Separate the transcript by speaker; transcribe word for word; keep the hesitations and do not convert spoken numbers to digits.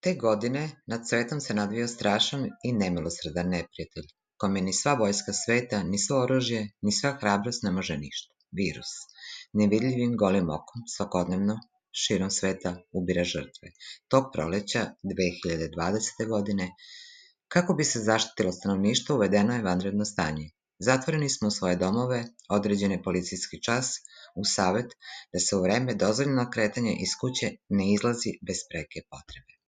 Speaker 1: Te godine nad svetom se nadvio strašan i nemilosrdan neprijatelj, kome ni sva vojska sveta, ni svo oružje, ni sva hrabrost ne može ništa. Virus, nevidljivim golim okom, svakodnevno, širom sveta ubira žrtve. Tog proleća dve hiljade dvadesete. godine, kako bi se zaštitilo stanovništvo, uvedeno je vanredno stanje. Zatvoreni smo u svoje domove, određen je policijski čas, uz savet da se u vreme dozvoljenog kretanja iz kuće ne izlazi bez preke potrebe.